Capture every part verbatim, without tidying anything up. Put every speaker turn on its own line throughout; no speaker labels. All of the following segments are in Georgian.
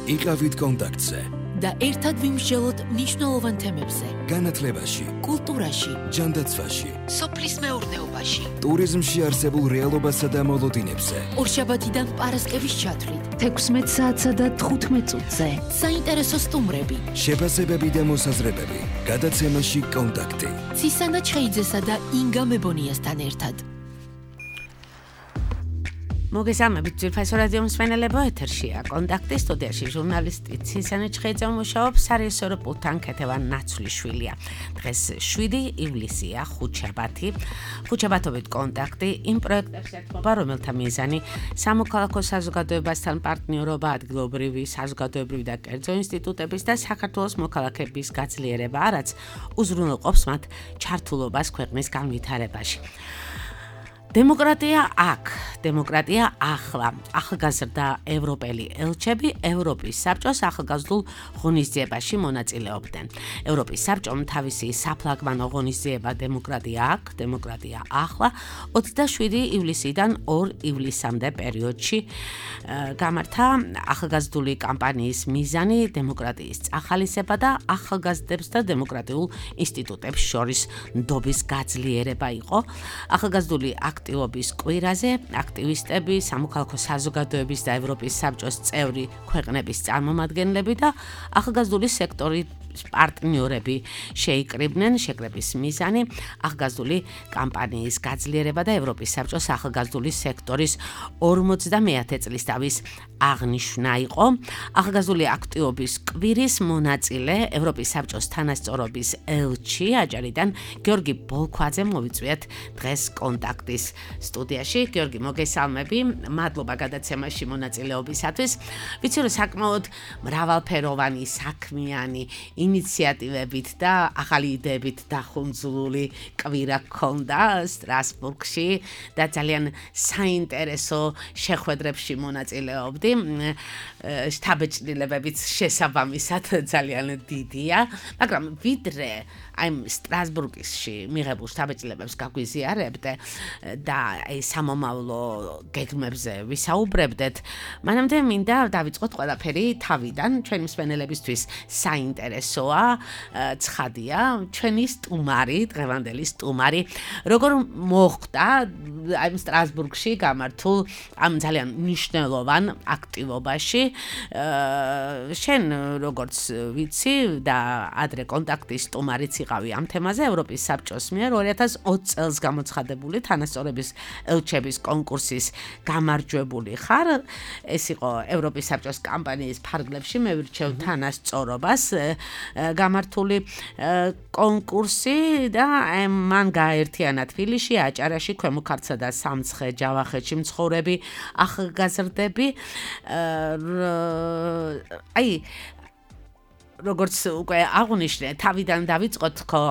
იყავით კონტაქტზე
და ერთად ვიმსჯელოთ მნიშვნელოვან თემებზე.
განათლებაში,
კულტურაში,
ჯანდაცვაში,
სოფლის მეურნეობაში,
ტურიზმში არსებულ რეალობასა და მოლოდინებზე.
ორშაბათიდან პარასკევის ჩათვლით,
თექვსმეტ საათსა და თხუთმეტ წუთზე.
საინტერესო სტუმრები,
შეფასებები და მოსაზრებები. გადაცემაში კონტაქტი.
ცისანა ჩხეიძესა და ინგა მებონიასთან ერთად.
მოგესალმებით ძვირფასო რადიო მსმენელებო, ეთერშია კონტაქტი, სტუდიაში ჟურნალისტი ცისანა ჩხეიძე მუშაობს, სარიესორო პულტთან ქეთევან ნაცვლიშვილია. დღეს შვიდი ივლისია, ხუთშაბათი. ხუთშაბათობით კონტაქტი იმ პროექტებს ეთმობა, რომელთა მიზანი სამოქალაქო საზოგადოებასთან პარტნიორობა, ადგილობრივი, საზოგადოებრივი და კერძო ინსტიტუტების და საქართველოს მოქალაქეების გაძლიერებაა, რაც უზრუნველყოფს მათ ჩართულობას ქვეყნის განვითარებაში. დემოკრატია აქ, დემოკრატია ახლა. ახალგაზრდა ევროპელი ელჩები ევროპის საბჭოს ახალგაზრდულ ღონისძიებაში მონაწილეობდნენ. ევროპის საბჭომ თავისი საფლაგმანო ღონისძიება დემოკრატია აქ, დემოკრატია ახლა ოცდაშვიდი ივლისიდან ორ ივლისამდე პერიოდში გამართა. ახალგაზრდული კამპანიის მიზანი დემოკრატიის წახალისება და ახალგაზრდებს და დემოკრატიულ ინსტიტუტებს შორის ნდობის გაძლიერება იყო. ახალგაზრდული აქტივობის კვირაზე აქტივისტები, სამოქალაქო საზოგადოების და ევროპის საბჭოს წევრი ქვეყნების წარმომადგენლები და ახალგაზრდული სექტორის პარტნიორები შეიკრიბნენ. შეკრების მიზანი ახალგაზრდული კამპანიის გაძლიერება და ევროპის საბჭოს ახალგაზრდული სექტორის ორმოცდამეათე წლისთავის აღნიშვნა იყო. ახალგაზრდული აქტივობის კვირის მონაწილე ევროპის საბჭოს თანასწორობის ელჩი აჭარიდან გიორგი ბოლქვაძე მოვიწვიეთ დღეს კონტაქტის სტუდიაში. გიორგი, მოგესალმები, მადლობა გადაცემაში მონაწილეობისათვის. ვიცი, რომ საკმაოდ მრავალფეროვანი, საქმიანი ინიციატივებით და ახალი იდეებით დახუნძურული კვირა გქონდა სტრასბურგში და ძალიან საინტერესო შეხვედრებში მონაწილეობდი. შთაბეჭდილებებიც შესაბამისად ძალიან დიდია, მაგრამ ვიდრე აი სტრასბურგში მიღებულ შთაბეჭდილებებს გაგვიზიარებდე და აი სამომავლო გეგმებზე ვისაუბრებდეთ, მანამდე მინდა დავიწყოთ ყველაფერი თავიდან. ჩვენი მსმენელებისთვის საინტერესოა, ცხადია, ჩვენი სტუმარი, დღევანდელი სტუმარი, როგორ მოხდა აი სტრასბურგში გამართულ ამ ძალიან მნიშვნელოვან აქტივობაში. შენ როგორც ვიცი და ადრე კონტაქტის სტუმარიც იყავი ამ თემაზე, ევროპის საბჭოს მიერ ორი ათას ოცი წელს გამოცხადებული თანასწორობის ელჩების კონკურსის გამარჯვებული ხარ. ეს იყო ევროპის საბჭოს კამპანიის ფარგლებში მე ვირჩევ თანასწორობას გამართული კონკურსი და მან გააერთიანა თბილისში, აჭარაში, ქვემო ქართლსა და სამცხე ჯავახეთში მცხოვრები ახალგაზრდები. აი როგორც უკვე აღვნიშნე, თავიდან დავიწყოთ ხო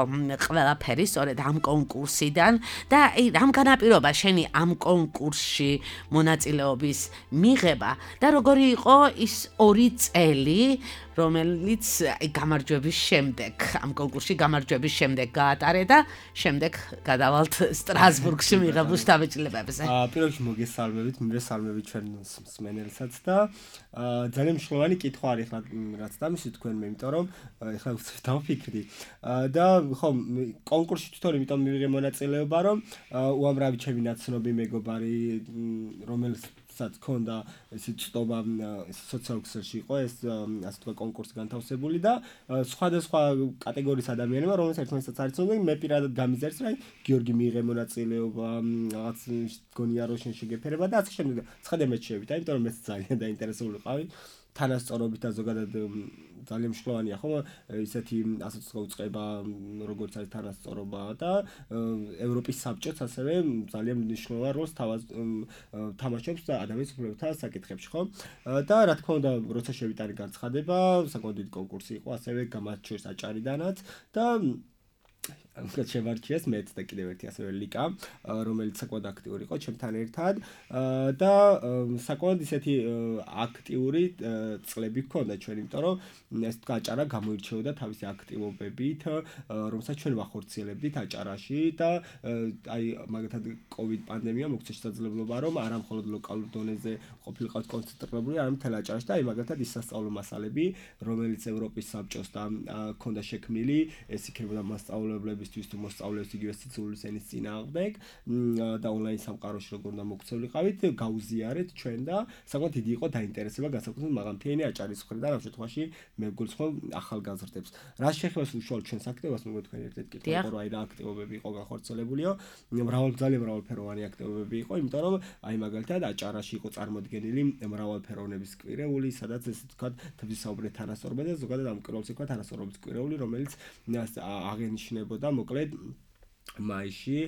ყველაფერი სწორედ ამ კონკურსიდან და აი რამ განაპირობა შენი ამ კონკურსში მონაწილეობის მიღება და როგორი იყო ის ორი წელი, რომელიც აი გამარჯვების შემდეგ, ამ კონკურსში გამარჯვების შემდეგ გაატარე და შემდეგ გადავალთ სტრასბურგში მიღებულ შთაბეჭდილებებზე.
აა პირველ რიგში მოგესალმებით, მივესალმებით ჩვენ მსმენელსაც და ძალიან მნიშვნელოვანი კითხვა არის ხა რაც დამისი თქვენ მე, იმიტომ რომ ეხლა დავფიქრდი და ხო კონკურსში თვითონ იმიტომ მივიღე მონაწილეობა, რომ უამრავი ჩემი ნაცნობი მეგობარი, რომელიც საც ქონდა ესე ცდობა სოციალურ ქსელში იყო ეს ასე თქვა კონკურსი განთავსებული და სხვადასხვა კატეგორიის ადამიანებმა, რომელსაც ერთმანეთსაც არ იცოდნენ, მე პირადად გამიზარდე, რომ გიორგი მიიღე მონაწილეობა, რაღაც გონია რომ შენ შეგეფერება და ასე შემდეგ. ცხადე მეც შევიდა, იმიტომ რომ მეც ძალიან დაინტერესებული ვიყავი თანასწორობით და ზოგადად ძალიან მნიშვნელოვანია ხო ისეთი ასე თქვა უწყება როგორც არის თანასწორობა და ევროპის საბჭოც ასევე ძალიან მნიშვნელოვან როლს თამაშობს ადამიანის უფლებათა საკითხებში ხო და რა თქმა უნდა როცა შევიტანე განცხადება საკმაოდ დიდი კონკურსი იყო ასევე გამარჯვეს აჭარიდანაც და ამක შევარჩიეს მეც და კიდევ ერთი ასევე ლიკა, რომელიც საკმაოდ აქტიური იყო ჩემთან ერთად და საკმაოდ ისეთი აქტიური წლები ჰქონდა ჩვენ, იმიტომ რომ ეს აჭარა გამოირჩეოდა თავისი აქტივობებით, რომელსაც ჩვენ ვახორციელებდით აჭარაში და აი მაგათად COVID პანდემია მოგცა შესაძლებლობა რომ არა მხოლოდ ლოკალურ დონეზე ყოფილიყავთ კონცენტრირებული, არამედ მთელ აჭარაში და აი მაგათად ის სასწავლო მასალები, რომელიც ევროპის საბჭოს და ჰქონდა შექმნილი, ეს იქნებოდა მასწავლებლების თუ მოსწავლეებს იგივე სიცოცხლის ენის წინააღმდეგ და ონლაინ სამყაროში როგორ უნდა მოქცევლიყავით, გაუზიარეთ ჩვენ და საკმაოდ დიდი იყო დაინტერესება განსაკუთრებით მაღალმთიანი აჭარის მხრიდან ამ შემთხვევაში მე ვგულს ხომ ახალგაზრდებს. რა შეეხება უშუალოდ ჩვენს აქტივობას, მეგობრებო, თქვენ ერთ-ერთ კითხვა იყო, რომ აი რა აქტივობები იყო განხორციელებულიო, მრავალ ძალიან მრავალფეროვანი აქტივობები იყო, იმიტომ რომ აი მაგალითად აჭარაში იყო წარმოდგენილი მრავალფეროვნების კვირეული, სადაც ესე ვთქვათ, თბილისაუბრეთ თანასწორობა და ზოგადად ამ კვირეულს ეკვა თანასწორობის კვირეული, რომელიც აღენიშნებოდა მოკლედ მაისში,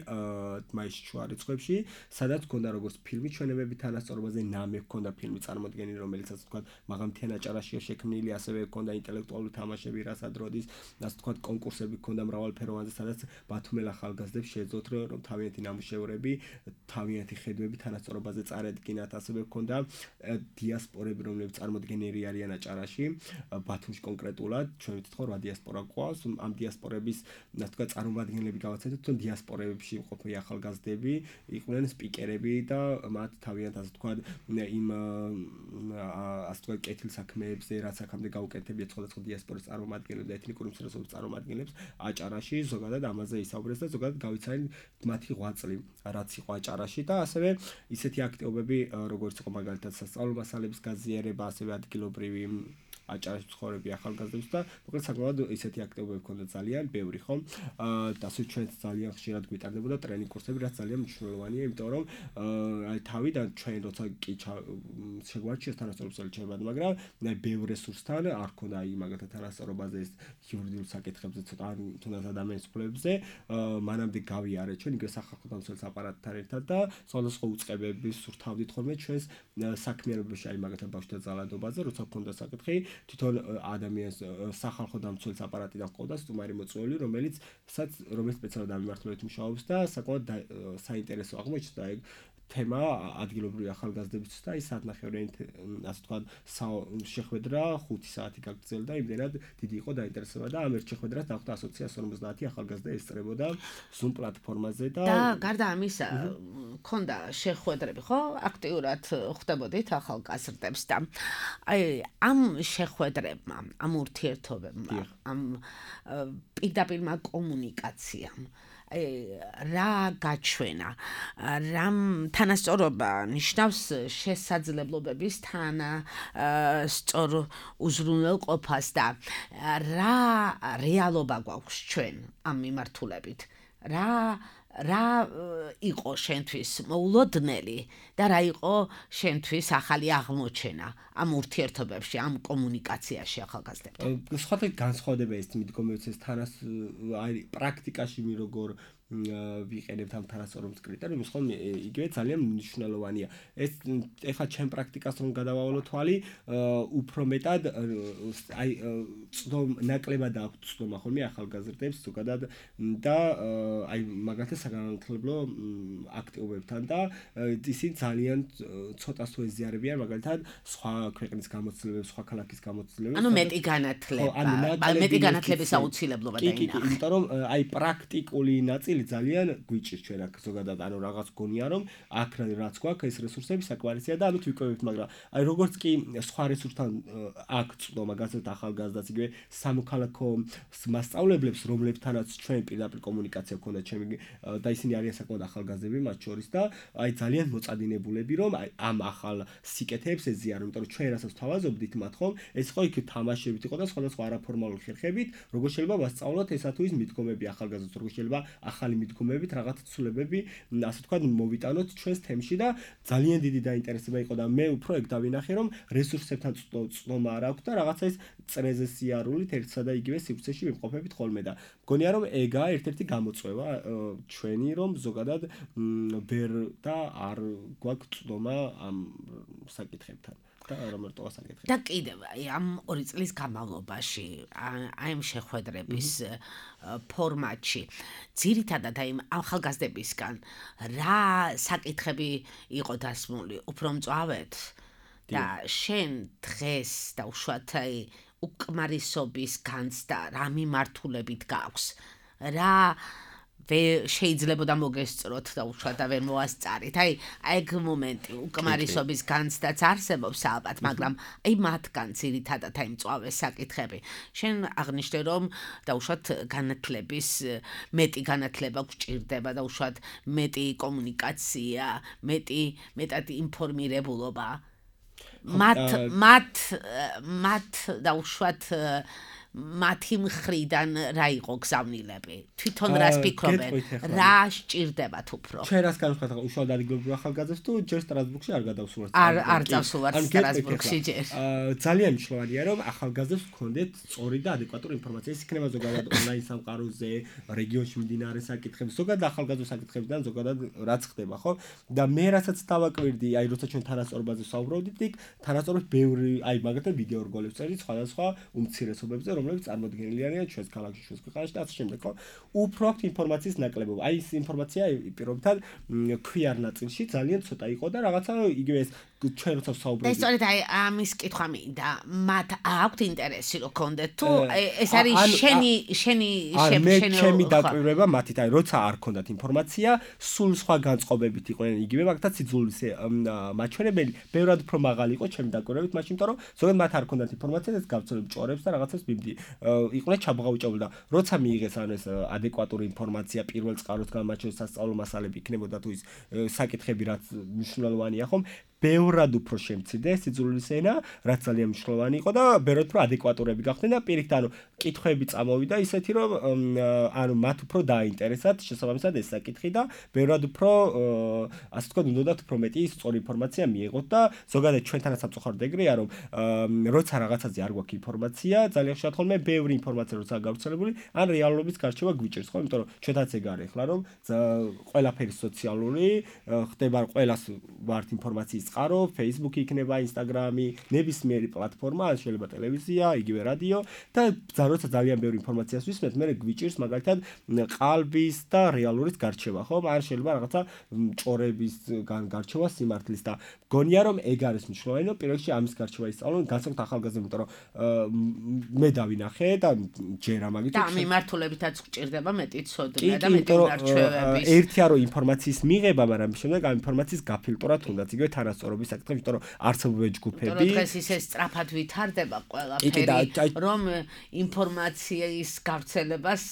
მაისში შუა რიცხვებში, სადაც ჰქონდა როგორც ფილმი ჩვენებები თანასწორობაზე, ნამე ჰქონდა ფილმი წარმოდგენილი, რომელიც ასე ვთქვათ, მაღალმთიან აჭარაშია შექმნილი, ასევე ჰქონდა ინტელექტუალური თამაშები, რასაც როდის, ასე ვთქვათ, კონკურსები ჰქონდა მრავალფეროვანზე, სადაც ბათუმელ ახალგაზრდებს შეეძლოთ რომ თავიანთი ნამუშევრები, თავიანთი ხედვები თანასწორობაზე წარედგინათ, ასევე ჰქონდა დიასპორები, რომლებიც წარმოდგენილი არიან აჭარაში, ბათუმში კონკრეტულად, ჩვენ ვიცით ხო რა დიასპორა გვყავს, ამ დიასპორების, ასე ვთქვათ, წარმომადგენლები გავაცეთოთ დიასპორებში მყოფი ახალგაზრდები იყვნენ სპიკერები და მათ თავიანთ ასე ვთქვათ იმ ასე ვთქვათ კეთილ საქმეებზე, რაც აქამდე გაუკეთებიათ სხვადასხვა დიასპორის წარმომადგენლებს და ეთნიკური უმცირესობების წარმომადგენლებს აჭარაში, ზოგადად ამაზე ისაუბრეს და ზოგადად გავიცანით მათი ღვაწლი, რაც იყო აჭარაში და ასევე ისეთი აქტივობები, როგორც იყო მაგალითად სასწავლო მასალების გაზიარება, ასევე ადგილობრივი აჭარაში ცხოვრები ახალგაზრდებს და მოკლედ საკმაოდ ისეთი აქტივობები ჰქონდა ძალიან ბევრი, ხო? და ასე ჩვენც ძალიან ხშირად გვიტარდებოდა ტრენინგ კურსები, რაც ძალიან მნიშვნელოვანია, იმიტომ რომ აი თავიდან ჩვენ როცა კი შეგვარჩიეს თანასწორობის ელჩებად, მაგრამ აი ბევრ რესურსთან არ ჰქონდა აი მაგალითად თანასწორობაზე ეს იურიდიულ საკითხებზე ცოტა თუნდაც ადამიანის უფლებებზე, მანამდე გავიარეთ ჩვენ იგივე სახალხო დამცველის აპარატთან ერთად და სხვადასხვა უწყებების სურთავდით ხოლმე ჩვენს საქმიანობაში აი მაგალითად ბავშვთა ძალადობაზე, როცა ჰქონდა საკითხი თვითონ ადამიანს სახალხო დამცველის აპარატიდან ჰყავდა სტუმარი მოწვეული, რომელიც რომელიც სპეციალურად ამ მიმართულებით მუშაობს და საკმაოდ საინტერესო აღმოჩნდა ეგ თემა ადგილობრივი ახალგაზრდების და ის საათნახევრიანი ასე ვთქვათ შეხვედრა ხუთი საათი გაგრძელდა, იმდენად დიდი იყო დაინტერესება და ამ ერთ შეხვედრას დახვდა ასოციაცია ორმოცდაათი ახალგაზრდა ესწრებოდა Zoom პლატფორმაზე და
და გარდა ამისა ქონდა შეხვედრები, ხო? აქტიურად ხვდებოდით ახალგაზრდებს და აი ამ შეხვედრებმა, ამ ურთიერთობებმა, ამ პირდაპირმა კომუნიკაციამ რა გაჩვენა, რამ თანასწორობა ნიშნავს შესაძლებლობების თანასწორ უზრუნველყოფას და რა რეალობა გვაქვს ჩვენ ამ მიმართულებით, რა რა იყო შენთვის მოულოდნელი და რა იყო შენთვის ახალი აღმოჩენა ამ ურთიერთობებში, ამ კომუნიკაციაში ახალგაზრდებთან?
სხვათა განსხვავდება ეს მიდგომებიც ეს თანას აი პრაქტიკაში მე როგორ ვიყენებთ ამ თანასწორობის კრიტერიუმს, ხო იგივე ძალიან მნიშვნელოვანია. ეს ეხლა ჩემ პრაქტიკას რომ გადავავალო თვალი, უფრო მეტად აი წდომ ნაკლებად აქვს წდომა ხოლმე ახალგაზრდებს ზოგადად და აი მაგალითად საგანმანათლებლო აქტივობებთან და ისინი ძალიან ცოტას თუ ეზიარებიან მაგალითად სხვა ქვეყნის გამოცდილებებს, სხვა ქალაქის გამოცდილებებს.
ანუ მეტი განათლება, მეტი განათლების აუცილებლობა დაინახა.
იმიტომ რომ აი პრაქტიკული ნაწილი ძალიან გვიჭირს ჩვენ აქ ზოგადად, ანუ რაღაც გონია რომ აქ რაც გვაქვს ეს რესურსები საკმარისია და ამით ვიკავებთ, მაგრამ აი როგორც კი სხვა რესურსთან აქ წდომა გასცეთ ახალგაზრდას იგივე სამოქალაქო მასწავლებლებს, რომლებთანაც ჩვენ პირდაპირ კომუნიკაცია გქონდა ჩემი და ისინი არიან საკმაოდ ახალგაზრდები მათ შორის და აი ძალიან მოწადინებულები რომ აი ამ ახალ სიკეთეებს ეზიარო, იმიტომ რომ ჩვენ რასაც თავაზობდით მათ ხომ, ეს ხო იქ თამაშებით იყო და სხვადასხვა არაფორმალური ხერხებით, როგორ შეიძლება ვასწავლოთ ესა თუ ის მიდგომები ახალგაზრდებს, როგორ შეიძლება ახალი მიდგომებით რაღაც ცვლილებები, ასე ვთქვათ, მოვიტანოთ ჩვენს თემში და ძალიან დიდი დაინტერესება იყო და მე უფრო ეგ დავინახე რომ რესურსებთან წდომა არ აქვს და რაღაცა ის წრეზე სიარულით ერთსა და იგივე სივრცეში ვიმყოფებით ხოლმე და მგონია რომ ეგაა ერთ-ერთი გამოწვევა ჩვენი რომ ზოგადად ვერ და არ გვაქვს წდომა ამ საკითხებთან. და რომ რტოს აკეთებ.
და კიდევ აი ამ ორი წლის განმავლობაში აი ამ შეხვედრების ფორმატში ძირითადად აი ახალგაზრდებისგან რა საკითხები იყო დასმული, უფრო მწვავედ და შენ დღეს და უშუალოდ აი უკმარისობის განცდა რა მიმართულებით გაქვს, რა შეიძლება და მოგესწროთ და უშუალოდ და ვერ მოასწარით. აი ეგ მომენტი უკმარისობის განცდაც არსებობს ალბათ, მაგრამ აი მათგან ძირითადად აი მწვავე საკითხები. შენ აღნიშნე რომ და უშუალოდ განათლების მეტი განათლება გჭირდება და უშუალოდ მეტი კომუნიკაცია, მეტი მეტად ინფორმირებულობა. მათ მათ მათ და უშუალოდ მათი მხრიდან რა იყო გზავნილები? თვითონ რას ფიქრობენ? რა სჭირდებათ უფრო?
ჩვენ რას განვიხილავთ, უშუალოდ ადგილობრივ ახალგაზრდებს თუ ჯერ სტრასბურგში არ გადავსულვართ?
არ არ წავსულვართ სტრასბურგში ჯერ.
ძალიან მნიშვნელოვანია რომ ახალგაზრდებს ჰქონდეთ სწორი და ადეკვატური ინფორმაცია. ის იქნება ზოგადად ონლაინ სამყაროზე, რეგიონში მიმდინარე საკითხებზე, ზოგადად ახალგაზრდა საკითხებიდან, ზოგადად რაც ხდება, ხო? და მე რასაც დავაკვირდი, აი როცა ჩვენ თანასწორობაზე საუბრობდით, იქ თანასწორობის ბევრი, აი მაგათაც ვიდეო რგოლებს წერით სხვადასხვა უმცირესობებზე, რომლებიც წარმოდგენილი არიან ჩვენს ქალაქში, ჩვენს ქვეყანაში და ასე შემდეგ, ხო? უფრო აქვს ინფორმაციის ნაკლებობა. აი ეს ინფორმაცია პირობითად ქვიარ ნაწილში ძალიან ცოტა იყო და რაღაცა იგივე ეს ჩვენ როცა საუბრობთ.
ეს სწორედ აი ამის კითხვა მინდა. მათ აქვთ ინტერესი რომ კონდეთ თუ ეს არის შენი შენი
შენი შენი ჩემი დაკვირვება მათით, აი როცა არ ქონდათ ინფორმაცია, სულ სხვა განწყობებით იყვნენ იგივე მაგათაც სიძულვის მაჩვენებელი, ბევრად უფრო მაღალი იყო ჩემი დაკვირვებით, მაშინ იმიტომ რომ ზოგადად მათ არ ქონდათ ინფორმაცია და ეს გავცელებ ჭორებს და რაღაცას მიმდი იყვნენ ჩაბღაუჭებული და როცა მიიღეს ან ეს ადეკვატური ინფორმაცია პირველ წყაროსგან მათ შორის სასწავლო მასალები იქნებოდა თუ ის საკითხები რაც მნიშვნელოვანია ხომ ბევრად უფრო შემცირდა სიძულვის ენა, რაც ძალიან მნიშვნელოვანი იყო და ბევრად უფრო ადეკვატურები გახდნენ და პირიქით ანუ კითხვები წამოვიდა ისეთი რომ ანუ მათ უფრო დააინტერესათ შესაბამისად ეს საკითხი და ბევრად უფრო ასე ვთქვათ უნდათ უფრო მეტი სწორი ინფორმაცია მიიღოთ და ზოგადად ჩვენთანაც სამწუხაროდ ეგრეა რომ როცა რაღაცაზე არ გვაქვს ინფორმაცია ძალიან ხშირად ხოლმე ბევრი ინფორმაცია როცა გავრცელებული ან რეალობის გარჩევა გვიჭირს ხო იმიტომ რომ ჩვენთანაც ეგ არის ახლა რომ ყველაფერი სოციალური ხდება ყველას ვართ ინფორმაციის წყარო, Facebook იქნება, Instagram-ი, ნებისმიერი პლატფორმა, შეიძლება ტელევიზია, იგივე რადიო და როცა ძალიან ბევრი ინფორმაციას ვისმენთ, მე გვიჭირს მაგალითად ყალბის და რეალურის გარჩევა, ხო? არ შეიძლება რაღაცა ჭორების გარჩევა სიმართლის და გონია რომ ეგ არის მნიშვნელოვანი, რომ პირველში ამის გარჩევა ისწავლონ, განსაკუთრებით ახალგაზრდებს, იმიტომ რომ მე დავინახე და ჯერ ამაგით
და მიმართულებითაც გჭირდება მეტი ცოდნა და მეტი გარჩევების.
ერთია რომ ინფორმაციის მიღება, მაგრამ შემდეგ ამ ინფორმაციის გაფილტრა თუნდაც იგივე თანასწორობის საკითხი, იმიტომ რომ არსებობენ ჯგუფები.
დღეს ისე სწრაფად ვითარდება ყველაფერი, რომ ინფორმაციის გავრცელებას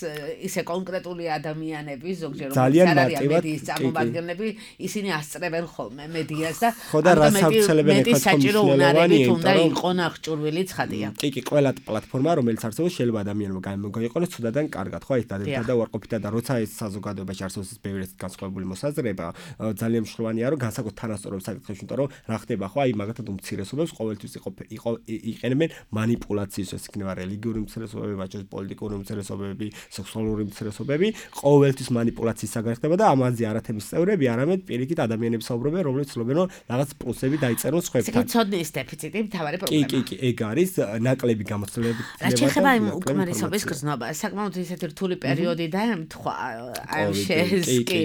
ისე კონკრეტული ადამიანები, ზოგჯერ რომელიც არ არიან მედიის წარმომადგენლები, ისინი ასწრებენ ხოლმე მედიას და
რას ავრცელებენ
ახლა საჭირო უნარებით უნდა იყო ნახჭურვილი ცხადია.
კი, კი, ყველა პლატფორმა, რომელიც არსებობს, შეიძლება ადამიანმა გამოიყენოს ცუდად ან კარგად, ხო, ეს დადებითად და უარყოფითად და როცა ეს საზოგადოებაში არსებობს ბევრი ეს განსხვავებული მოსაზრება, ძალიან მნიშვნელოვანია, რომ განსაკუთრებით თანასწორობის საკითხებში, იმიტომ რომ რა ხდება, ხო, აი მაგათად უმცირესობებს ყოველთვის იყო იყო იყენებენ манипуляციას, ეს იქნება რელიგიური უმცირესობები, ვაჭრობის პოლიტიკური უმცირესობები, სექსუალური უმცირესობები, ყოველთვის манипуляციის საგანი ხდება და ამაზე არათემის წევრები, არამედ პირიქით ადამიანები საუბრობენ, რომლებიც ცდილობენ რომ რაღაც პლუსები დაიწერონ სხვებთან.
ცოდნის დეფიციტი მთავარი პრობლემა.
კი, კი, კი, ეგ არის ნაკლები გამოცდილებები.
რა შეიძლება იმ უკმარისობის გზნობა, საკმაოდ ისეთი რთული პერიოდი დაემთხვა, აი შესკი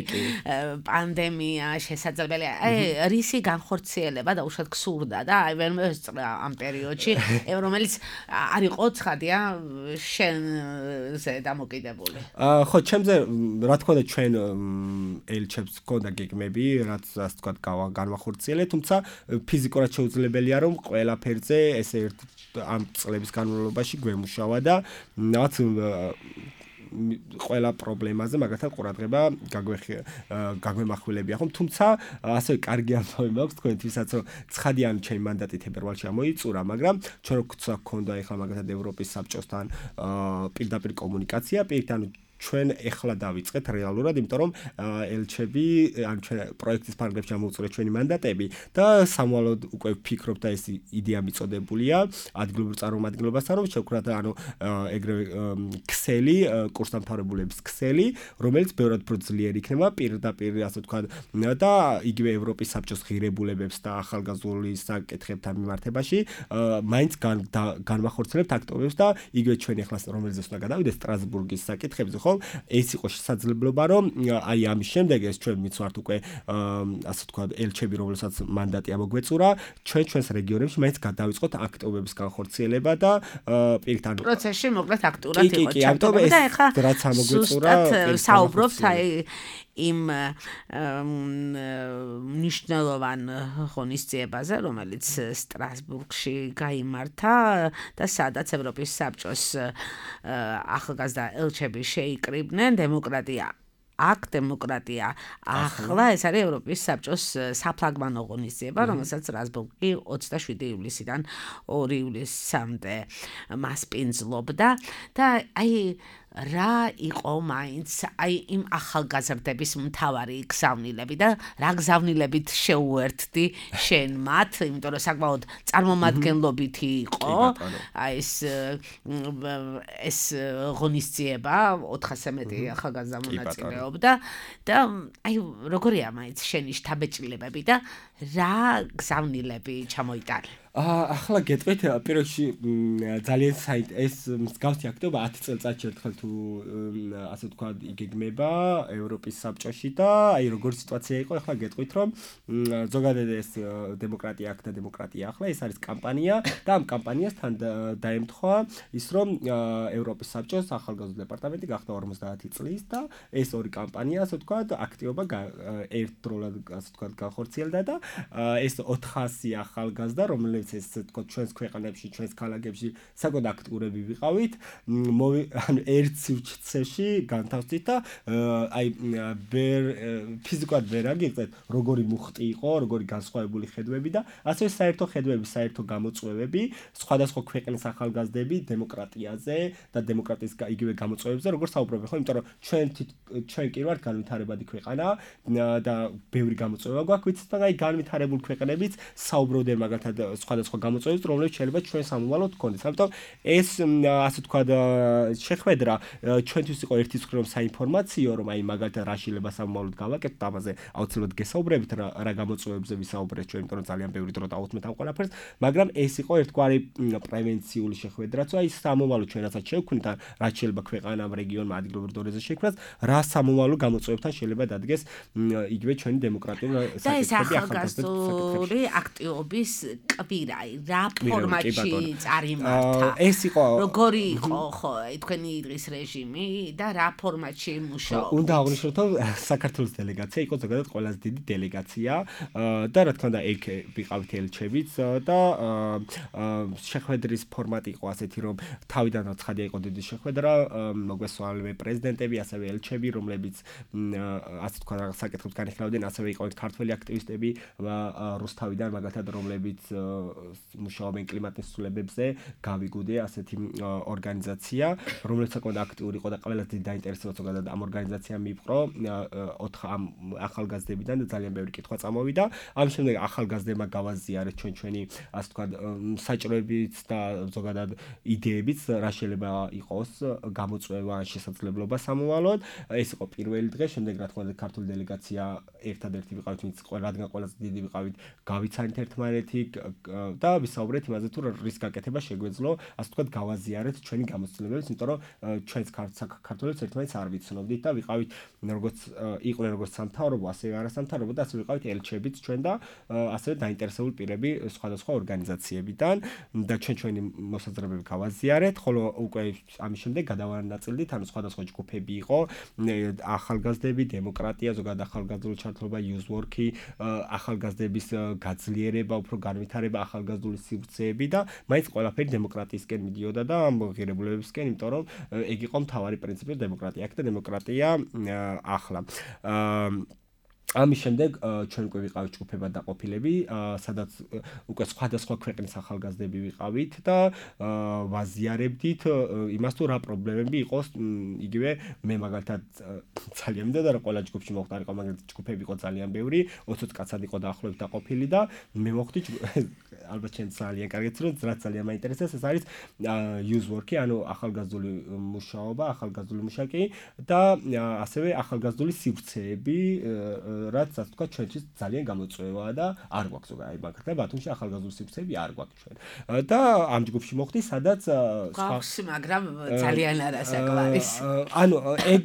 პანდემია შესაძლებელია. აი რისი განხორციელება და უშუალოდ გსურდა და აი ვერ მოსწრა ამ პერიოდში, რომელიც არ იყო ცხადია შენზე დამოკიდებული.
ხო, ჩემზე რა თქმა უნდა ჩვენ ელჩებს გქონდა გეგმები, რაც ასე ვთქვათ განვახორციელეთ, თუმცა ფიზიკურად შეუძლებელია რომ ყველაფერზე ესე ერთ ამ წლების განმავლობაში გვემუშავა და რაც ყველა პრობლემაზე მაგათაც ყურადღება გაგვემახვილებია ხომ თუმცა ასევე კარგი ამბავი მაქვს თქვენთვისაც რომ ცხადიან ჩემი მანდატი თებერვალში ამოიწურა მაგრამ ჩვენ როცა გქონდა ახლა მაგათაც ევროპის საბჭოსთან პირდაპირ კომუნიკაცია პირით ანუ ჩვენ ეხლა დავიწყეთ რეალურად, იმიტომ რომ ელჩები ან ჩვენ პროექტის ფარგლებში ამოვწურეთ ჩვენი მანდატები და სამვალოდ უკვე ვფიქრობ და ეს იდეა მიწოდებულია ადგილობრივ წარმომადგენლობასთან, რომ შევქრათ ანუ ეგრევე ქსელი, კურსდამთავრებულების ქსელი, რომელიც ბევრად უფრო ძლიერი იქნება პირდაპირ ასე ვთქვათ და იგივე ევროპის საბჭოს ღირებულებებს და ახალგაზრდული საკითხებთან მიმართებაში მაინც განვახორციელებთ აქტივობებს და იგივე ჩვენ ახლა რომელზეც უნდა გადავიდეთ სტრასბურგის საკითხებზე, ხო? ეს იყო შესაძლებლობა, რომ აი ამის შემდეგ ეს ჩვენ მიცვართ უკვე ასე ვთქვათ ელჩები, რომელსაც მანდატი ამოგვეწურა, ჩვენ ჩვენს რეგიონებში მაინც გადავიწყოთ აქტივობების განხორციელება და პირით ანუ
პროცესში მოკლედ აქტიურად იყო
კი, ამიტომ ეს რაც ამოგვეწურა
საუბრობს აი იმ მნიშვნელოვან ღონისძიებაზე, რომელიც სტრასბურგში გაიმართა და სადაც ევროპის საბჭოს ახალგაზრდა ელჩები შეიკრიბნენ დემოკრატია აქ დემოკრატია ახლა ეს არის ევროპის საბჭოს საფლაგმანო ღონისძიება, რომელსაც სტრასბურგი ოცდაშვიდი ივლისიდან ორი ივლისამდე მასპინძლობდა და აი რა იყო მაინც აი იმ ახალგაზრდების მთავარი გზავნილები და რა გზავნილებით შეუერთდი შენ მათ, იმიტომ რომ საკმაოდ წარმომადგენლობითი იყო აი ეს ეს ღონისძიება ოთხასზე მეტი ახალგაზრდა მონაწილეობდა და აი როგორია მაინც შენი შთაბეჭდილებები და რა გზავნილები ჩამოიტანე?
ახლა გეტყვით პირველში ძალიან ეს მსგავსი აქტივობა ათი წელიწადში ერთხელ თუ ასე ვთქვათ იგეგმება ევროპის საბჭოში და აი როგორი სიტუაცია იყო, ახლა გეტყვით რომ ზოგადად ეს დემოკრატია აქ და დემოკრატია ახლა ეს არის კამპანია და ამ კამპანიას თან დაემთხვა ის რომ ევროპის საბჭოს ახალგაზრდა დეპარტამენტი გახდა ორმოცდაათი წლის და ეს ორი კამპანია ასე ვთქვათ აქტივობა ერთდროულად ასე ვთქვათ განხორციელდა და ეს ოთხასი ახალგაზრდა რომელიც ეს თქო ჩვენს ქვეყანებში, ჩვენს ქალაქებში საკმაოდ აქტიურები ვიყავით, ანუ ერთ სივრცეში განთავსდით და აი ვერ ფიზიკურად ვერ აგიღეთ, როგორი მუხტი იყო, როგორი განსხვავებული ხედვები და ასევე საერთო ხედვები, საერთო გამოწვევები, სხვადასხვა ქვეყნის ახალგაზრდები დემოკრატიაზე და დემოკრატიის იგივე გამოწვევებზე როგორ საუბრობენ, ხო, იმიტომ რომ ჩვენ ჩვენ კი ვართ განვითარებადი ქვეყანა და ბევრი გამოწვევა გვაქვს, ვიცით, და აი განვითარებულ ქვეყნებიც საუბრობდნენ მაგალითად სხვადასხვა გამოწვევებს, რომლებიც შეიძლება ჩვენ სამომავლოდ გქონდეს. ამიტომ ეს ასე ვთქვათ შეხვედრა ჩვენთვის იყო ერთის მხრივ საინფორმაციო, რომ აი მაგალითად რა შეიძლება სამომავლოდ გავაკეთოთ, ამაზე აუცილებლად გესაუბრებით რა, რა გამოწვევებზე ვისაუბრეთ ჩვენ, იმიტომ რომ ძალიან ბევრი დრო დავუთმეთ ამ ყველაფერს, მაგრამ ეს იყო ერთგვარი პრევენციული შეხვედრაც, აი სამომავლოდ ჩვენასაც შევქმნით, რა შეიძლება ქვეყანამ, რეგიონმა, ადგილობრივ დონეზე შექმნას, რა სამომავლო გამოწვევებთან შეიძლება დადგეს იგივე ჩვენი დემოკრატიული
საკითხები ახალგაზრდული აქტივობის კვირა, რა ფორმატში წარიმართა?
ეს იყო
როგორი იყო ხო თქვენი დღის რეჟიმი და რა ფორმატში მუშაობდა?
უნდა აღვნიშნოთ, რომ საქართველოს დელეგაცია იყო ზოგადად ყველაზე დიდი დელეგაცია და რა თქმა უნდა ეგ ვიყავით ელჩებიც და შეხვედრის ფორმატი იყო ასეთი, რომ თავიდანაც ცხადია იყო დიდი შეხვედრა, მოგვესალმე პრეზიდენტები, ასევე ელჩები, რომლებიც ასე თქვა საკითხებს განიხილავდნენ, ასევე იყო ქართველი აქტივისტები რუსთავიდან მაგალითად, რომლებიც მუშაობენ კლიმატის ცვლილებებზე, გავიგუდე ასეთი ორგანიზაცია, რომელიც საკმაოდ აქტიური იყო და ყველას დიდი დაინტერესება ზოგადად ამ ორგანიზაციამ მიიპყრო ოთხ ახალგაზრდებიდან და ძალიან ბევრი კითხვა წამოვიდა. ამ შემდეგ ახალგაზრდებმა გავაზიარეთ ჩვენ ჩვენი ასე ვთქვათ საჭიროებიც და ზოგადად იდეებიც რა შეიძლება იყოს გამოწვევა შესაძლებლობა სამოვალოდ. ეს იყო პირველი დღე, შემდეგ რა თქმა უნდა ქართული დელეგაცია ერთადერთი ვიყავით, ვინც რადგან ყველაზე დიდი ვიყავით, გავიცანით ერთმანეთი და ვისაუბრეთ იმაზე თუ რის გაკეთება შეგვეძლო, ასე ვთქვათ, გავაზიარეთ ჩვენი გამოცდილებებს, იმიტომ რომ ჩვენს საქართველოს ერთმანეთს არ ვიცნობდით და ვიყავით როგორც იყვნენ როგორც სამთავრობო, ასევე არასამთავრობო და ასევე ვიყავით ელჩებიც ჩვენ და ასევე დაინტერესებული პირები სხვადასხვა ორგანიზაციებიდან და ჩვენ ჩვენი მოსაზრებები გავაზიარეთ, ხოლო უკვე ამის შემდეგ გადავანაწილდით, ანუ სხვადასხვა ჯგუფები იყო, ახალგაზრდები, დემოკრატია, ზოგადად ახალგაზრდული ჩართულობა, youth work-ი, ახალგაზრდების გაძლიერება, უფრო განვითარება, ახალგაზრდული სივრცეები და მაინც ყველაფერი დემოკრატიისკენ მიდიოდა და ამ ღირებულებებისკენ, იმიტომ რომ ეგ იყო მთავარი პრინციპი დემოკრატია აქ და დემოკრატია ახლა. ამის შემდეგ ჩვენ უკვე ვიყავით ჯგუფებად დაყოფილები, სადაც უკვე სხვადასხვა ქვეყნის ახალგაზრდები ვიყავით და ვაზიარებდით იმას თუ რა პრობლემები იყოს, იგივე მე მაგალითად ძალიან მინდა და ყველა ჯგუფში მოხდა, მაგალითად ჯგუფები იყო ძალიან ბევრი, ოცდაოც კაცად იყო დაახლოებით დაყოფილი და მე მოხდი ალბათ ჩვენ ძალიან კარგიც რომ რაც ძალიან მაინტერესებს ეს არის youth work-ი, ანუ ახალგაზრდული მუშაობა, ახალგაზრდული მუშაკი და ასევე ახალგაზრდული სივრცეები, რაც ასე ვთქვათ, ჩვენთვის ძალიან გამოწვევაა და არ გვაქვს ზოგადად მაგალითად ბათუმში ახალგაზრდული სივრცეები არ გვაქვს ჩვენ. და ამ ჯგუფში მოხდი, სადაც
გვაქვს, მაგრამ ძალიან არასაკვარისი.
ანუ ეგ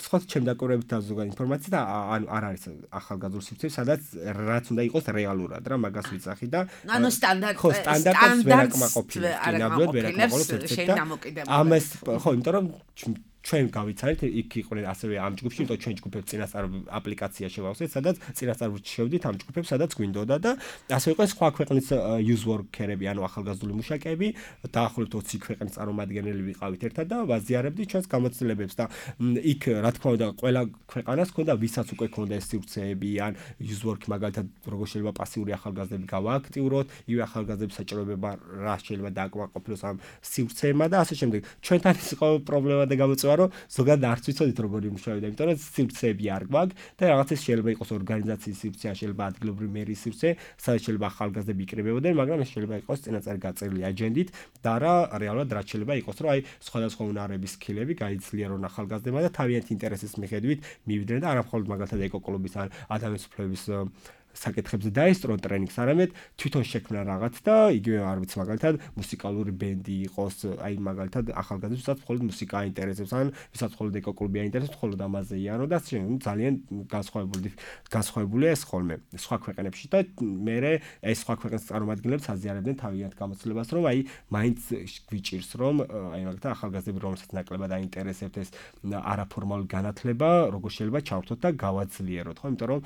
სხვა ჩემ დაკვრებით და ზოგადად ინფორმაცია და ანუ არ არის ახალგაზრდული სივრცეები, სადაც რაც უნდა იყოს რეალურად რა მაგას ვიცახი და
ანუ სტანდარტ
ხო სტანდარტს ვერ აკმაყოფილებს, ნამდვილად ვერ აკმაყოფილებს და ამას ხო, იმიტომ რომ ჩვენ გავიცანით, იქ იყვნენ ასევე ამ ჯგუფში, იმიტომ ჩვენ ჯგუფებს წინასწარ აპლიკაცია შევავსეთ, სადაც წინასწარ ვშევდით ამ ჯგუფებს, სადაც გვინდოდა და ასე იყო სხვა ქვეყნის youth worker-ები, ანუ ახალგაზრდული მუშაკები, დაახლოებით ოცი ქვეყნის წარმომადგენელი ვიყავით ერთად და ვაზიარებდით ჩვენს გამოცდილებებს და იქ რა თქმა უნდა ყველა ქვეყანას ჰქონდა ვისაც უკვე ჰქონდა ეს სივრცეები, ან youth work მაგალითად როგორ შეიძლება პასიური ახალგაზრდები გავააქტიუროთ, იგივე ახალგაზრდების საჭიროება რა შეიძლება დააკმაყოფილოს ამ სივრცეებმა და ასე შემდეგ. ჩვენთან ის იყო პრობლემა და გამოწვევა რომ ზოგადად არც ვიცოდით როგორ იმუშავებდა, იმიტომ რომ სივრცეები არ გვაქვს და რაღაცა შეიძლება იყოს ორგანიზაციის სივრცე, შეიძლება ადგილობრივი მერის სივრცე, სადაც შეიძლება ახალგაზრდები იკრიბებოდნენ, მაგრამ ეს შეიძლება იყოს წინასწარ გაწერილი აჯენდით და რა რეალურად რაც შეიძლება იყოს, რომ აი სხვადასხვა უნარების სკილები გაიძლიერონ ახალგაზრდებმა და თავიანთი ინტერესის მიხედვით მივიდნენ და არა მხოლოდ მაგალითად ეკოკლუბის ან ადამიანის უფლებების საკითხებზე დაესწრო ტრენინგს, არამედ თვითონ შექმნა რაღაც და იგივე არ ვიცი მაგალითად მუსიკალური ბენდი იყოს, აი მაგალითად ახალგაზრდებს ვისაც მხოლოდ მუსიკა აინტერესებს, ან ვისაც მხოლოდ ეკოკლუბი აინტერესებს, მხოლოდ ამაზე იანო და ძალიან განსხვავებული განსხვავებულია ეს ხოლმე სხვა ქვეყნებში და მე ეს სხვა ქვეყნის წარმომადგენლებს აზიარებდნენ თავიანთ გამოცდილებას, რომ აი მაინც გვიჭირს რომ აი მაგალითად ახალგაზრდები რომელსაც ნაკლებად აინტერესებთ ეს არაფორმალური განათლება, როგორ შეიძლება ჩავრთოთ და გავაძლიეროთ, ხო, იმიტომ რომ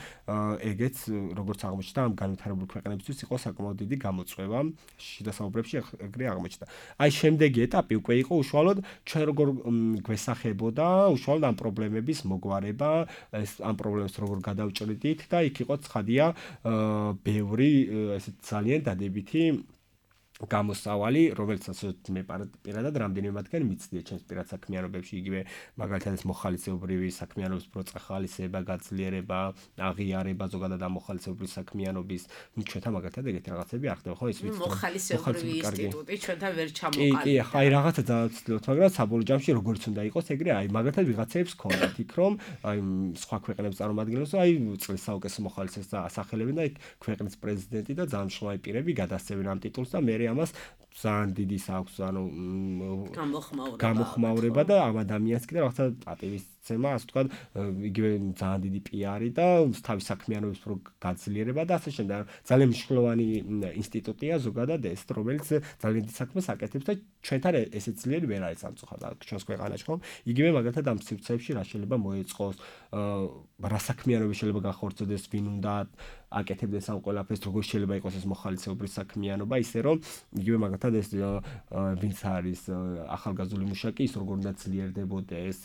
ეგეც როგორც აღმოჩნდა ამ განვითარებული ქვეყნებისთვის იყო საკმაოდ დიდი გამოწვევა შიდა საუბრებში ეგრე აღმოჩნდა. აი შემდეგი ეტაპი უკვე იყო უშუალოდ ჩვენ როგორ გვესახებოდა უშუალოდ ამ პრობლემების მოგვარება, ეს ამ პრობლემებს როგორ გადავჭრიდით და იქ იყო ცხადია ბევრი ესე ძალიან დადებითი გამოსავალი, რომელსაც მე პირადად რამდენიმე მათგანი მიცდია ჩემს პირად საქმიანობებში, იგივე მაგალითად ეს მოხალისეობრივი საქმიანობის პროცესის ხალისება, გაძლიერება, აღიარება, ზოგადად ამ მოხალისეობრივი საქმიანობის, ჩვენთან მაგალითად ეგეთი რაღაცები არ ხდება, ხო, ეს ვიცით.
მოხალისეობრივი ინსტიტუტი ჩვენთან ვერ ჩამოყალიბდა.
კი, კი, ხა აი რაღაცა დავცდილოთ, მაგრამ საბოლოო ჯამში როგორც უნდა იყოს, ეგრე აი მაგალითად ვიღაცებს ქონდათ იქ რომ აი სხვა ქვეყნების წარმომადგენლებს, აი წლის საუკეთესო მოხალისეს ასახელებენ და იქ ქვეყნის პრეზიდენტი და ძალიან მნიშვნელოვანი პირები გადასცემენ ამ ტიტულს და მე ამას ძალიან დიდი აქვს, ანუ გამოხმაურება და ამ ადამიანს კიდე რაღაცა პატივისცემა, ასე ვთქვათ, იგივე ძალიან დიდი პიარი და თავის საქმიანობის პრო გაძლიერება და ასე შემდეგ. ძალიან მნიშვნელოვანი ინსტიტუტია ზოგადად ეს, რომელიც ძალიან დიდ საქმეს აკეთებს და ჩვენთან ესე ძლიერი ვერ არის სამწუხაროდ ჩვენს ქვეყანაში, ხო? იგივე მაგალითად ამ სივრცეებში რა შეიძლება მოეწყოს, რა საქმიანობა შეიძლება განხორციელდეს, ვინ უნდა აკეთებდეს ამ ყველაფერს, როგორ შეიძლება იყოს ეს მოხალისეობრივი საქმიანობა, ისე რომ იგივე მაგალითად ეს ვინც არის ახალგაზრდული მუშაკი, ის როგორ უნდა ძლიერდებოდეს,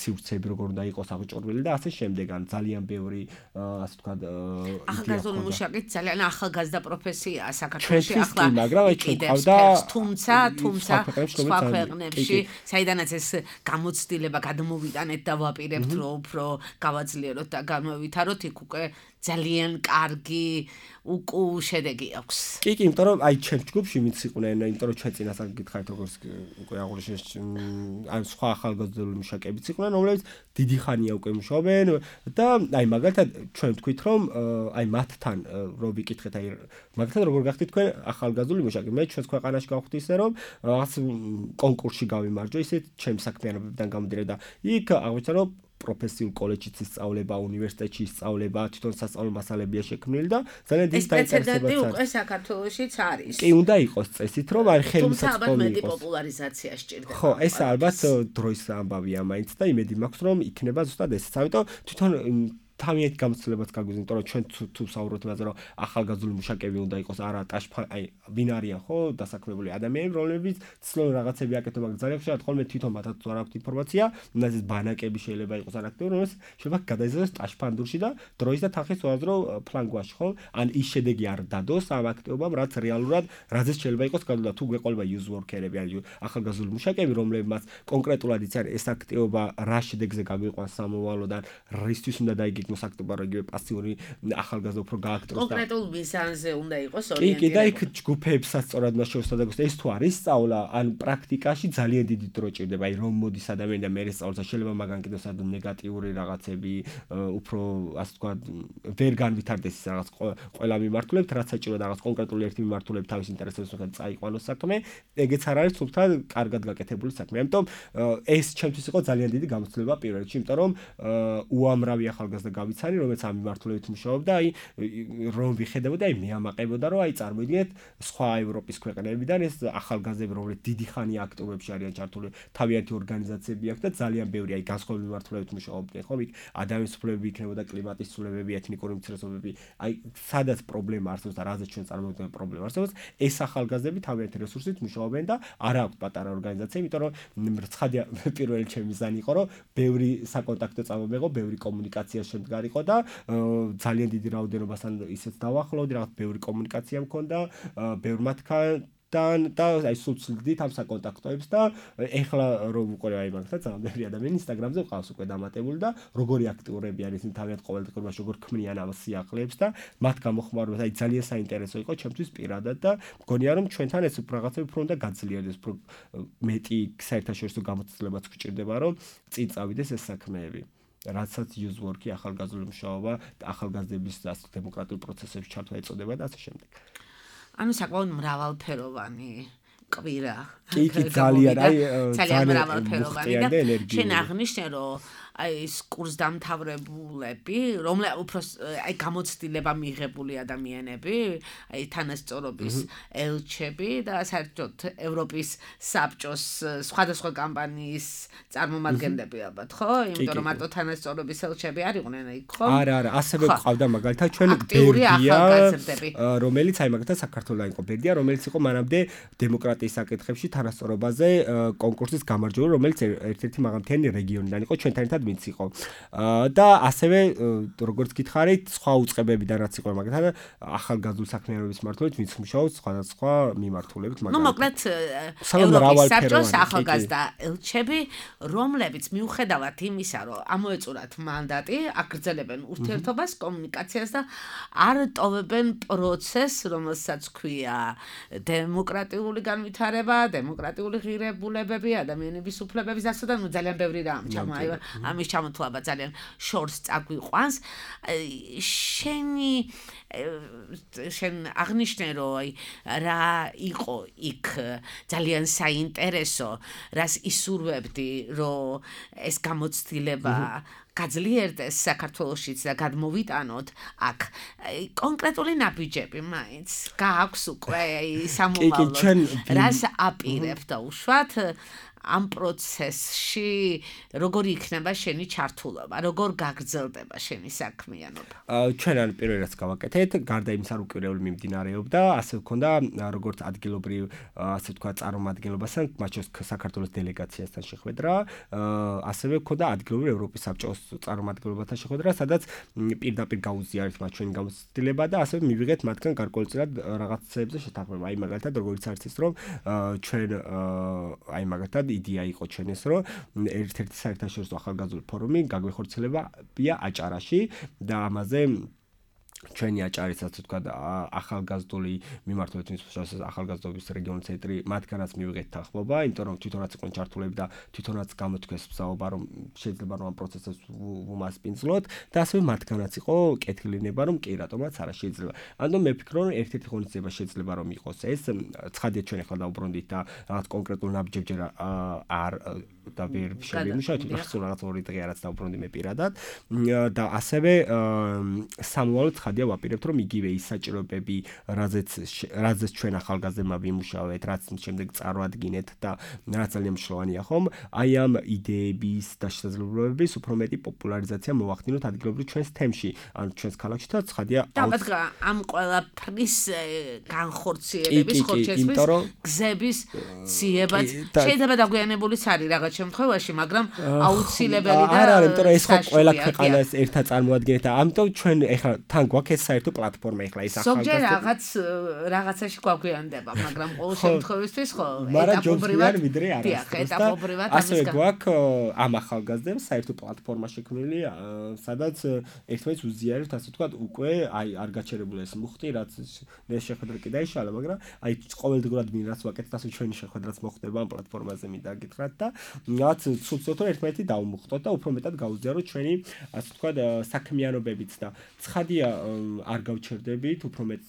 სივრცეები როგორ უნდა იყოს აღჭურვილი და ასე შემდეგ. ან ძალიან ბევრი ასე ვთქვათ
ახალგაზრდული მუშაკი ძალიან ახალგაზრდა პროფესიაა საქართველოში
ახლა, მაგრამ აი ჩვენ ყავდა
თუმცა თუმცა სხვა ქვეყნებში, საიდანაც ეს გამოცდილება გადმოვიტანეთ და ვაპირებთ, რომ უფრო გავაძლიეროთ და განვავითაროთ, იქ უკვე ძალიან კარგი უკუ შედეგი აქვს.
კი, კი, იმიტომ რომ აი ჩვენ ჯგუფში ვინც იყვნენ, იმიტომ რომ ჩვენ წინასწარ გითხარით როგორც უკვე აღნიშნეთ, აი სხვა ახალგაზრდული მუშაკებიც იყვნენ, რომლებიც დიდი ხანია უკვე მუშაობენ და აი მაგალითად ჩვენ ვთქვით რომ აი მათთან რო ვიკითხეთ, აი მაგალითად როგორ გახდით თქვენ ახალგაზრდული მუშაკი, მე ჩვენს ქვეყანაში გავხდი ისე რომ რაღაც კონკურსში გავიმარჯვე, ისე ჩემი საქმიანობებიდან გამომდინარე და იქ აღმოჩნდა რომ პროფესიულ კოლეჯშიც ისწავლება, უნივერსიტეტში ისწავლება, თვითონ სასწავლო მასალებია შექმნილი და ძალიან დიდი
დაინტერესება აქვს. ეს პრეცედენტი უკვე საქართველოშიც არის.
კი, უნდა იყოს წესით, რომ აი ხელმისაწვდომი
იყოს. თუმცა ალბათ პოპულარიზაცია სჭირდება.
ხო, ეს ალბათ დროის ამბავია მაინც და იმედი მაქვს, რომ იქნება ზუსტად ესეც. ამიტომ თვითონ თავიანთი გამოცდილებაც გაგვიზრდა, იმიტომ რომ ჩვენ თუ საუბრობთ იმაზე, რომ ახალგაზრდული მუშაკები უნდა იყოს არა ტაშფა, აი ვინ არიან ხო, დასაქმებული ადამიანები, რომლებიც ცდილობენ რაღაცები აკეთონ, მაგრამ ძალიან ხშირად ხოლმე თვითონ მათაც არ აქვთ ინფორმაცია, ნაზის ბანაკები შეიძლება იყოს არ აქტიური, რომელიც შეიძლება გადაიზარდოს ტაშფანდურში და დროის და თანხის უაზრო ფლანგვაში, ხო? ან ის შედეგი არ დადოს ამ აქტივობამ, რაც რეალურად რაზეც შეიძლება იყოს გადადა. თუ გვეყოლება user worker-ები, ან ახალგაზრდული მუშაკები, რომლებმაც კონკრეტულად იციან ეს აქტივობა რა შედეგზე გაგვიყვანს სამოვალოდან, რისთვის უნდა დაიგეგმოს აქტივობა, რომ იგივე პასიური ახალგაზრდა უფრო გააქტროს და
კონკრეტულ მიზანზე უნდა იყოს
ორიენტირებული. კი, კი, და იქ
ორიენტირებული.
ჯგუფებსაც სწორად უნდა შევსწავლოთ. ეს თუ არის სწავლა, ან პრაქტიკაში ძალიან დიდი დრო ჭირდება. აი რომ მოდის ადამიანი და მე სწავლობს, შეიძლება მაგან კიდევ სადღაც ნეგატიური რაღაცები, უფრო ასე ვთქვათ, ვერ განვითარდეს ის რაღაც ყველა მიმართულებით, რაც საჭირო და რაღაც კონკრეტული ერთი მიმართულებით თავის ინტერესებს მიხედვით წაიყვანოს საქმე, ეგეც არ არის თუმცა კარგად გაკეთებული საქმე. ამიტომ ეს ჩემთვის იყო ძალიან დიდი გამოცდილება პირველ რიგში, იმიტომ რომ უამრავი ახალგაზრდა გავიცანი, რომელიც ამ მიმართულებით მუშაობდა, აი რომ ვიხედებოდა, აი მეამაყებოდა, რომ აი წარმოიდგინეთ სხვა ევროპის ქვეყნებიდან ეს ახალგაზრდები, რომლებიც დიდი ხანი აქტივობებში არიან ჩართული, თავიანთი ორგანიზაციები აქვს და ძალიან ბევრი აი განსხვავებული მიმართულებით მუშაობდნენ, ხო? იქ ადამიანის უფლებები იქნებოდა, კლიმატის ცვლილებები, ეთნიკური უმცირესობები, აი სადაც პრობლემა არსებობს და რაზეც ჩვენ წარმოვიდგენთ პრობლემა არსებობს, ეს ახალგაზრდები თავიანთი რესურსით მუშაობენ და არ აქვს პატარა ორგანიზაცია, იმიტომ რომ ცხადია პირველი ჩემი მიზანი იყო, რომ ბევრი საკონტაქტო წამომეღო, ბევრი კომუნიკაცია შემდგარიყო და ძალიან დიდი რაოდენობასთან ისეც დავახლოვდი, რაღაც ბევრი კომუნიკაცია მქონდა, ბევრ მათგან და აი სულ ვცდილდით ამ საკონტაქტოებს და ეხლა რომ უყურე აი მაგასაც ძალიან ბევრი ადამიანი ინსტაგრამზე ყავს უკვე დამატებული და როგორი აქტიურები არის ისინი თავიანთ ყოველდღიურობაში როგორ ქმნიან ამ სიახლეებს და მათ გამოხმარებას აი ძალიან საინტერესო იყო ჩემთვის პირადად და მგონია რომ ჩვენთან ეს რაღაცები უფრო უნდა გაძლიერდეს, უფრო მეტი საერთაშორისო გამოცდილებაც გვჭირდება რომ წინ წავიდეს ეს საქმეები. რაცაც user work-ი, ახალგაზრდული მუშაობა და ახალგაზრდების დემოკრატიულ პროცესებში ჩართვა ეწოდება და ასე შემდეგ.
ანუ საკმაოდ მრავალფეროვანი კვირა.
კი, კი, ძალიან, აი
ძალიან მრავალფეროვანი და შენ აღნიშნე, რომ აი ეს კურსდამთავრებულები, რომლებიც უფრო აი გამოცდილება მიღებული ადამიანები, აი თანასწორობის ელჩები და საერთოდ ევროპის საბჭოს სხვადასხვა კამპანიის წარმომადგენლები ალბათ, ხო? იმიტომ რომ მარტო თანასწორობის ელჩები არ იყვნენ იქ, ხო?
არა, არა, ასევე ყავდა მაგალითად ჩვენ ბერდია, რომელიც აი მაგალითად საქართველოს იყო ბერდია, რომელიც იყო მანამდე დემოკრატიის საკითხებში თანასწორობაზე კონკურსის გამარჯვებული, რომელიც ერთ-ერთი მაღალმთიანი რეგიონიდან იყო ჩვენთან ერთად ვინც იყო. და ასევე როგორც გითხარით, სხვა უწყებებიდან რაც იყო მაგალითად ახალგაზრდული საქმიანობის მიმართულებით ვინც მუშაობს სხვადასხვა მიმართულებით,
მაგრამ ნუ მოკლედ ევროპის საბჭოს ახალგაზრდა ელჩები, რომლებიც მიუხედავად იმისა, რომ ამოეწურათ მანდატი, აგრძელებენ ურთიერთობას, კომუნიკაციას და არ ტოვებენ პროცესს, რომელსაც ქვია დემოკრატიული განვითარება, დემოკრატიული ღირებულებები, ადამიანების უფლებების დაცვა და ნუ ძალიან ბევრი რამ ჩამო აი ამის ჩამოთვლობა ძალიან შორს წაგვიყვანს. შენი შენ აღნიშნე, რომ აი რა იყო იქ ძალიან საინტერესო, რას ისურვებდი, რომ ეს გამოცდილება გაძლიერდეს საქართველოშიც და გადმოვიტანოთ აქ კონკრეტული ნაბიჯები მაინც გააქვს უკვე სამომავლოდ რას აპირებ და უშუალოდ ამ პროცესში როგორი იქნება შენი ჩართულობა, როგორ გაგრძელდება შენი საქმიანობა?
ჩვენ ან პირველ რიგს გავაკეთეთ, გარდა იმისა, რომ კვირეული მიმდინარეობდა, ასე ვქონდა როგორც ადგილობრივ, ასე ვთქვათ, წარმომადგენლობასთან, მათ შორის საქართველოს დელეგაციასთან შეხვედრა, ასევე ვქონდა ადგილობრივ ევროპის საბჭოს წარმომადგენლობასთან შეხვედრა, სადაც პირდაპირ გაუზიარეთ მათ ჩვენი გამოცდილება და ასევე მივიღეთ მათგან გარკვეულწილად რაღაცებზე შეთანხმება. აი მაგალითად, როგორც არის ის, რომ ჩვენ აი მაგალითად იდეა იყო ჩვენს, რომ ერთ-ერთი საერთაშორისო ახალგაზრდული ფორუმი გაგვეხორციელებია აჭარაში და ამაზე ჩვენი აჭარის ასე ვთქვათ ახალგაზრდული მიმართულებით მისვლის ახალგაზრდობის რეგიონული ცენტრი მათგანაც მივიღეთ თანხმობა, იმიტომ რომ თვითონაც იყვნენ ჩართულები და თვითონაც გამოთქვეს მსაუბრა რომ შეიძლება რომ ამ პროცესს ვუმასპინძლოთ და ასევე მათგანაც იყო კეთილინება რომ კი რატომაც არა შეიძლება. ანუ მე ვფიქრობ რომ ერთ-ერთი ღონისძიება შეიძლება რომ იყოს ეს, ცხადია ჩვენ ახლა დავუბრუნდით და რაღაც კონკრეტულ ნაბიჯებს არ და ვერ შევიმუშავე, თვითონ სულ რაღაც ორი დღე რაც დავუბრუნდი მე პირადად და ასევე სამუალოდ ხადია ვაპირებთ რომ იგივე ის საჭიროებები, რაზეც რაზეც ჩვენ ახალგაზრდებმა ვიმუშავეთ, რაც შემდეგ წარვადგინეთ და რაც ძალიან მნიშვნელოვანია ხომ, აი ამ იდეების და შესაძლებლობების უფრო მეტი პოპულარიზაცია მოვახდინოთ ადგილობრივ ჩვენს თემში, ან ჩვენს ქალაქში და ხადია
ამ ყველაფრის განხორციელების ხორცესის გზების ძიებაც შეიძლება დაგვიანებულიც არის რაღაც შემთხვევაში, მაგრამ აუცილებელი და
არა, იმიტომ რომ ეს ხო ყველა ქვეყანას ერთად წარმოადგენთ და ამიტომ ჩვენ ეხლა თან გვაქვს ეს საერთო პლატფორმა ეხლა ეს ახალგაზრდა
ზოგჯერ რაღაც რაღაცაში გვაგვიანდება, მაგრამ ყოველ შემთხვევისთვის ხო
ეტაპობრივად ვიდრე
ეტაპობრივად
ასე გვაქვს ამ ახალგაზრდებს საერთო პლატფორმა შექმნილი, სადაც ერთმანეთს უზიარებთ, ასე ვთქვათ, უკვე აი არ გაჩერებული ეს მუხტი, რაც ეს შეხვედრა კი დაიშალა, მაგრამ აი ყოველდღურად ვინ რაც ვაკეთებთ, ასე ჩვენი შეხვედრაც მოხდება ამ პლატფორმაზე მინდა გითხრათ და რაც ცუდ-ცუდ ერთმანეთი დავუმუხტოთ და უფრო მეტად გაუზიაროთ ჩვენი, ასე ვთქვათ, საქმიანობებიც და ცხადია არ გავჩერდებით, უფრო მეტ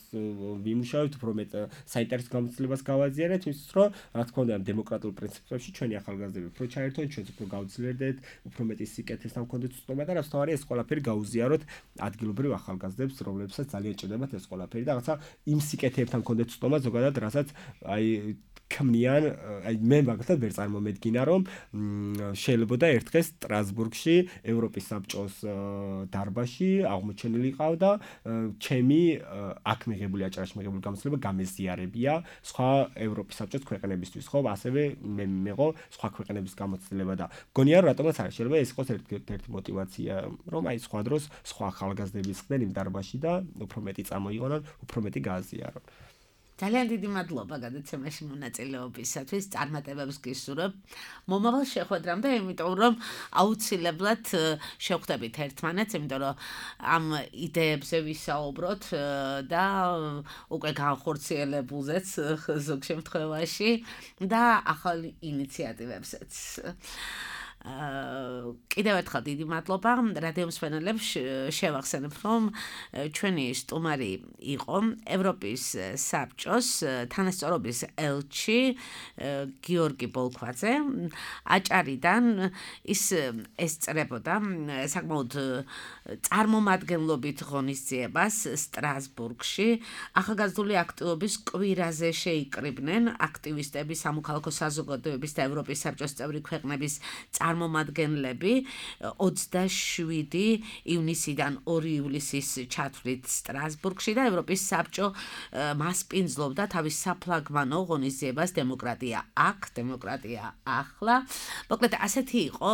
ვიმუშავებთ, უფრო მეტ საინტერესო გამოცდილებას გავაზიარეთ, იმისთვის რომ რა თქმა უნდა დემოკრატიულ პრინციპებში ჩვენი ახალგაზრდები უფრო ჩაერთონ, ჩვენც უფრო გავძლიერდეთ, უფრო მეტი სიკეთესთან გქონდეთ ცნობა და რაც თავარი ეს ყველაფერი გაუზიაროთ ადგილობრივ ახალგაზრდებს, რომლებსაც ძალიან ჭირდებათ ეს ყველაფერი და რაღაცა იმ სიკეთეებთან გქონდეთ ცნობა ზოგადად, რასაც აი ქმნიან, აი მე მაგალითად ვერ წარმომედგინა რომ შეიძლება ერთ დღეს სტრასბურგში ევროპის საბჭოს დარბაზში აღმოჩენილი ყავდა ჩემი აქ მიღებული აჭარაში მიღებული გამოცდილება გამეზიარებია სხვა ევროპის საბჭოს ქვეყნებისთვის, ხო, ასევე მე მეღო სხვა ქვეყნების გამოცდილება და გონია რომ რატომაც არ შეიძლება ეს იყოს ერთ-ერთი მოტივაცია, რომ აი სხვა დროს სხვა ახალგაზრდები ხდნენ იმ დარბაზში და უფრო მეტი წამოიღონონ, უფრო მეტი გააზიარონ.
ძალიან დიდი მადლობა გადაცემაში მონაწილეობისათვის, წარმატებებს გისურვებ მომავალ შეხვედრამდე, იმიტომ რომ აუცილებლად შევხვდებით ერთმანეთს, იმიტომ რომ ამ იდეებზე ვისაუბროთ და უკვე განხორციელებულზეც ზოგ შემთხვევაში და ახალ ინიციატივებზეც. კიდევ ერთხელ დიდი მადლობა რადიო მსმენელებს, შევახსენებ რომ ჩვენი სტუმარი იყო ევროპის საბჭოს თანასწორობის ელჩი გიორგი ბოლქვაძე აჭარიდან. ის ესწრებოდა საკმაოდ წარმომადგენლობით ღონისძიებას სტრასბურგში. ახალგაზრდული აქტივობის კვირაზე შეიკრიბნენ აქტივისტები, სამოქალაქო საზოგადოების და ევროპის საბჭოს წევრი ქვეყნების წარმომადგენლები ოცდაშვიდი ივნისიდან ორი ივლისის ჩათვლით სტრასბურგში და ევროპის საბჭო მასპინძლობდა თავის საფლაგმანო ღონისძიებას დემოკრატია აქ, დემოკრატია ახლა. მოკლედ ასეთი იყო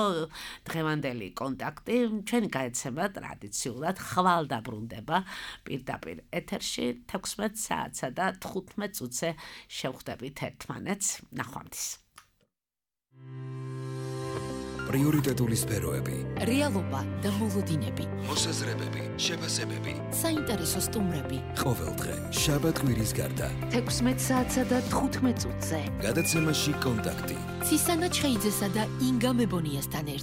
დღევანდელი კონტაქტი. ჩვენი გადაცემა ტრადიციულად ხვალ დაბრუნდება პირდაპირ ეთერში თექვსმეტ საათსა და თხუთმეტ წუთზე შევხვდებით ერთმანეთს. ნახვამდის.
პრიორიტეტული სფეროები,
რეალობა და მოლოდინები,
მოსაზრებები, შეფასებები,
საინტერესო სტუმრები.
ყოველდღე შაბათ-კვირის გარდა
თექვსმეტ საათსა და თხუთმეტ წუთზე.
გადაცემაში კონტაქტი.
ცისანა ჩხეიძესა და ინგა მებონიასთან ერთად.